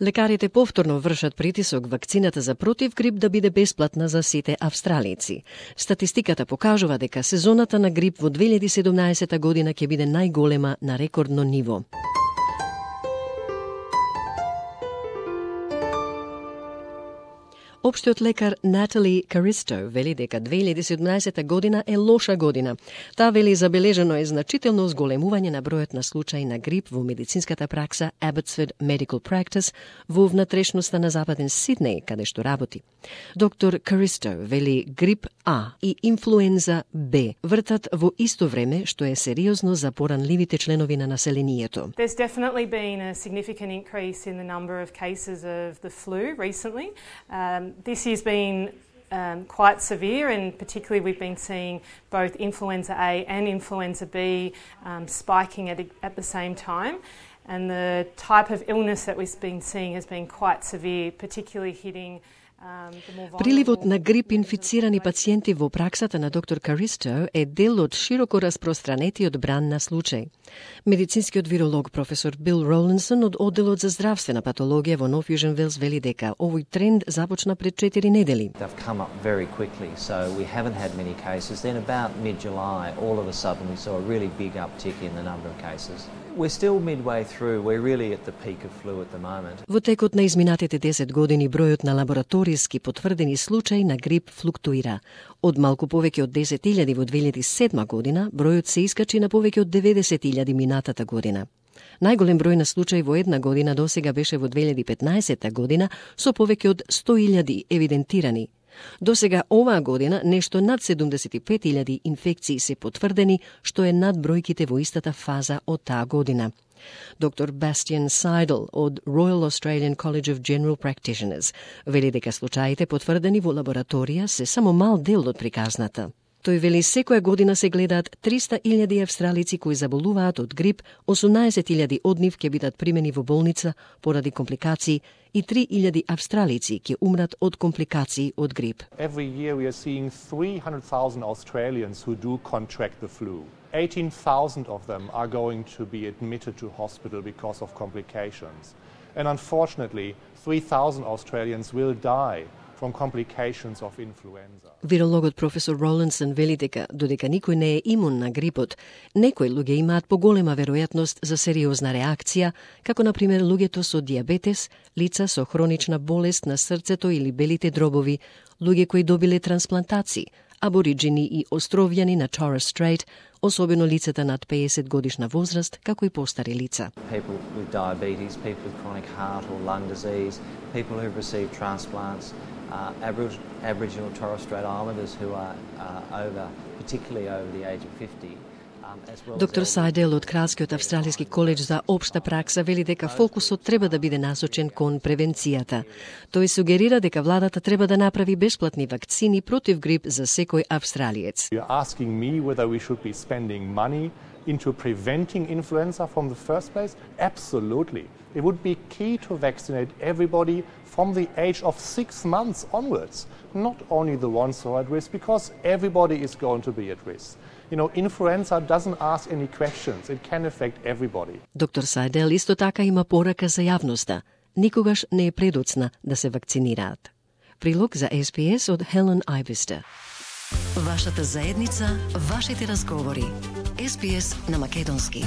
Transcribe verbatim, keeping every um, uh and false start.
Лекарите повторно вршат притисок вакцината за против грип да биде бесплатна за сите австралици. Статистиката покажува дека сезоната на грип во две илјади и седумнаесета година ќе биде најголема на рекордно ниво. Општиот лекар Натали Каристо вели дека две илјади и седумнаесета година е лоша година. Таа вели забележено е значително зголемување на бројот на случаи на грип во медицинската пракса Abbotsford Medical Practice во внатрешноста на западен Сиднеј, каде што работи. Доктор Каристо вели грип А и инфлуенза Б вртат во исто време, што е сериозно за поранливите членови на населението. There's definitely been a significant increase in the number of cases of the flu recently. Um, This has been um, quite severe, and particularly we've been seeing both influenza A and influenza B um, spiking at, at the same time. And the type of illness that we've been seeing has been quite severe, particularly hitting Приливот на грип инфицирани пациенти во праксата на доктор Каристо е дел од широко распространетиот бран на случаи. Медицинскиот виролог професор Бил Ролинсон од одделот за здравствена патологија во Нов Јужен Велс вели дека овој тренд започна пред четири недели. They've come up very quickly, so we haven't had many cases. Then about mid-July, all of a sudden we saw a really big uptick in the number of cases. We're still midway through. We're really at the peak of flu at the moment. Во текот на изминатите десет години бројот на лабораториски потврдени случаи на грип флуктуира. Од малку повеќе од десет илјади во две илјади и седма година, бројот се искачи на повеќе од деветдесет илјади минатата година. Најголем број на случаи во една година досега беше во две илјади и петнаесета година со повеќе од сто илјади евидентирани. Досега оваа година нешто над седумдесет и пет илјади инфекции се потврдени, што е над бројките во истата фаза од таа година. Доктор Bastian Seidel од Royal Australian College of General Practitioners вели дека случаите потврдени во лабораторија се само мал дел од приказната. Тој вели секоја година се гледаат триста илјади австралици кои заболуваат од грип, осумнаесет илјади од нив ќе бидат примени во болница поради компликации и три илјади австралици ќе умрат од компликации од грип. Every year we are seeing three hundred thousand Australians who do contract the flu. eighteen thousand of them are going to be admitted to hospital because of complications. And unfortunately, three thousand Australians will die from complications of influenza. Вирологот професор Ролинсон вели дека додека никој не е имун на грипот, некои луѓе имаат поголема веројатност за сериозна реакција, како на пример луѓето со дијабетес, лица со хронична болест на срцето или белите дробови, луѓе кои добиле трансплантации, абориджини и островјани на Torres Strait, особено лицата над пеесет годишна возраст, како и постари лица. People with diabetes, people with chronic heart or lung disease, people who've received transplants, uh, Aboriginal, Aboriginal Torres Strait Islanders who are uh, over, particularly over the age of fifty. Доктор Сайдел од Кралскиот австралиски коледж за општа пракса вели дека фокусот треба да биде насочен кон превенцијата. Тој сугерира дека владата треба да направи бесплатни вакцини против грип за секој австралиец. You're asking me whether we should be spending money into preventing influenza from the first place? Absolutely. It would be key to vaccinate everybody from the age of six months onwards, not only the ones who are at risk, because everybody is going to be at risk. You know, influenza doesn't ask any questions. It can affect everybody. Доктор Сайдел исто така има порака за јавноста. Никогаш не е предоцна да се вакцинираат. Прилог за Ес Би Ес од Хелен Ајвистер. Вашата заедница, вашите разговори. Ес Би Ес на македонски.